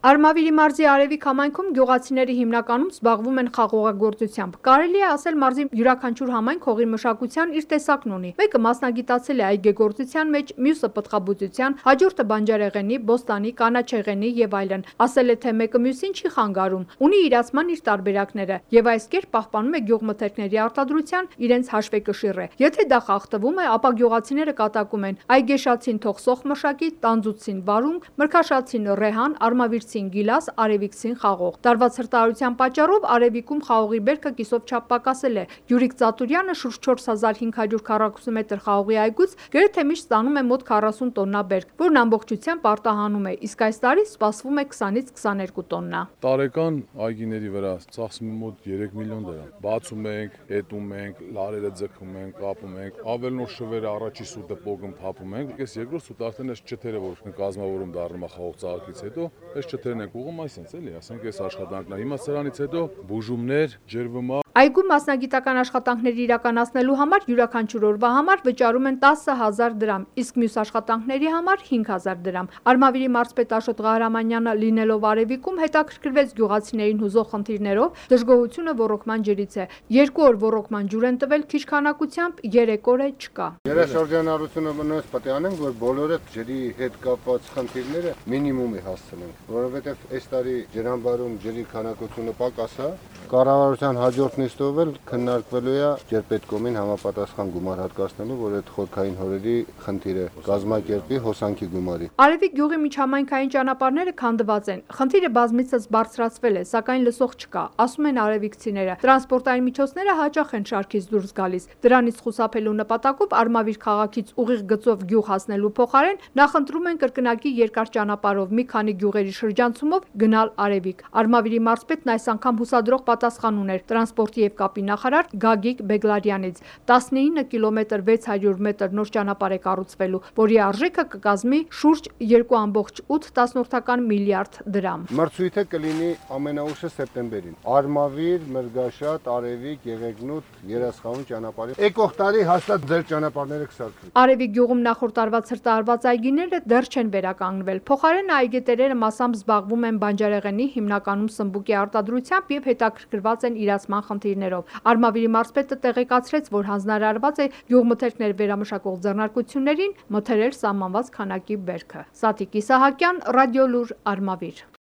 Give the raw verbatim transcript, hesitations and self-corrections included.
Արմավիրի մարզի Արևիկ համայնքում գյուղացիները հիմնականում զբաղվում են խաղողագործությամբ։ Կարելի է ասել մարզի յուրաքանչյուր համայնք հողի մշակության իր տեսակն ունի։ Մեկը մասնագիտացել է այգեգործության մեջ, մյուսը պտղաբուծության, հաջորդը բանջարեղենի, բոստանի, կանաչեղենի եւ այլն։ Ասել է, թե մեկը մյուսին չի խանգարում, ունի իրացման իր տարբերակները եւ այս կերպ պահպանում է գյուղմթերքների արտադրության իրենց հաշվեկշիռը։ Եթե դա խախտվում է, ապա գյուղացիները կատակում են այգեշացին թող սոխ մշակի, տանձուցին վարունգ, մրգաշացին ռեհան, արմավիրցին գիլաս, արևիկցին խաղող։ Տարվա ցրտարարության պատճառով Արևիկում խաղողի բերքը կիսով չափ պակասել է։ Յուրիկ Ծատուրյանը շուրջ չորս հազար հինգ հարյուր քառակուսի մետր խաղողի այգուց գրեթե միշտ ստանում է մոտ քառասուն տոննա բերք, որն ամբողջությամբ արտահանում է, իսկ այս տարի սպասվում է քսանից քսաներկու տոննա։ Տարեկան այգիների վրա ծախսում է մոտ երեք միլիոն դրամ։ Բացում ենք, հետում ենք, լարերը ձգում ենք, կապում ենք, ավելնոր շվերը առաջի սուտը պոգում փափում ենք։ Այս երկրորդ սուտը արդեն այս չթերը, որ կազմավորում դառնում է խաղող ծաղիկից հետո, այս չթերն ենք ուղում այսինքն էլի, ասենք այս աշխատանքն է։ Հիմա սրանից հետո բուժումներ, ջրվմա։ Այգում մասնագիտական աշխատանքների իրականացնելու համար յուրաքանչյուր օրվա համար վճարում են տասը հազար դրամ, իսկ մյուս աշխատանքների համար հինգ հազար դրամ։ Արմավիրի մարզպետ Աշոտ Ղահրամանյանը լինելով Արևիկում հետաքրքրվեց գյուղացիներին հուզող խնդիրներով, դժգոհությունը ոռոգման ջրից է։ Երկու օր ոռոգման ջուր են տվել քիչ քանակությամբ, երեք օր է չկա։ Երաշրջանառությունը մնաց պետք է անենք, որ բոլորը ջրի հետ կապված խնդիրները մինիմումի հասցնենք, որովհետև այս տարի ջրամբարում ջրի քանակությունը պակաս է։ Կառավարության հաջորդ նիստով էլ քննարկվելու է Ջրպետկոմին համապատասխան գումար հատկացնելու, որ այդ խորքային հորերի խնդիրը կազմակերպի հոսանքի գումարի։ Արևիկ գյուղի միջհամայնքային ճանապարհները քանդված են։ Խնդիրը բազմիցս բարձրացվել է, սակայն լսող չկա, ասում են արևիկցիները։ Տրանսպորտային միջոցները հաճախ են շարքից դուրս գալիս։ Դրանից խուսափելու նպատակով Արմավիր քաղաքից ուղիղ գծով գյուղ հասնելու փոխարեն նախընտրում են կրկնակի երկար ճանապարհով մի քանի գյուղերի շրջանցումով գնալ Արևիկ։ Արմավիրի մարզպետն այս անգամ հուսադրող պատասխան ուներ տրանսպորտի եւ կապի նախարար Գագիկ Բեգլարյանից։ տասնինը կիլոմետր վեց հարյուր մետր նոր ճանապարհ է կառուցվելու, որի արժեքը կկազմի շուրջ երկու կόμma ութ միլիարդ դրամ։ Մրցույթը կլինի ամենաուշը սեպտեմբերին։ Արմավիր, Մրգաշատ, Արևիկ, Եղեգնուտ, Երասխանու ճանապարհի։ Եկող տարի հաստատ ձեր ճանապարհները կսարքվի։ Արևիկ գյուղում նախորդ տարվա ցրտարված այգիները դեռ չեն վերականգնվել։ Փոխարենը այգետերերը մասամբ զբաղվում են բանջարեղենի, հիմնականում սմբուկի արտադրությամբ եւ հետաքրքրված են իրացման խնդիրներով։ Արմավիրի մարզպետը տեղեկացրեց, որ հանձնարարված է գյուղմթերքներ վերամշակող ձեռնարկություններին մթերել սահմանված քանակի բերքը։ Սաթիկ Իսահակյան, Ռադիոլուր, Արմավիր։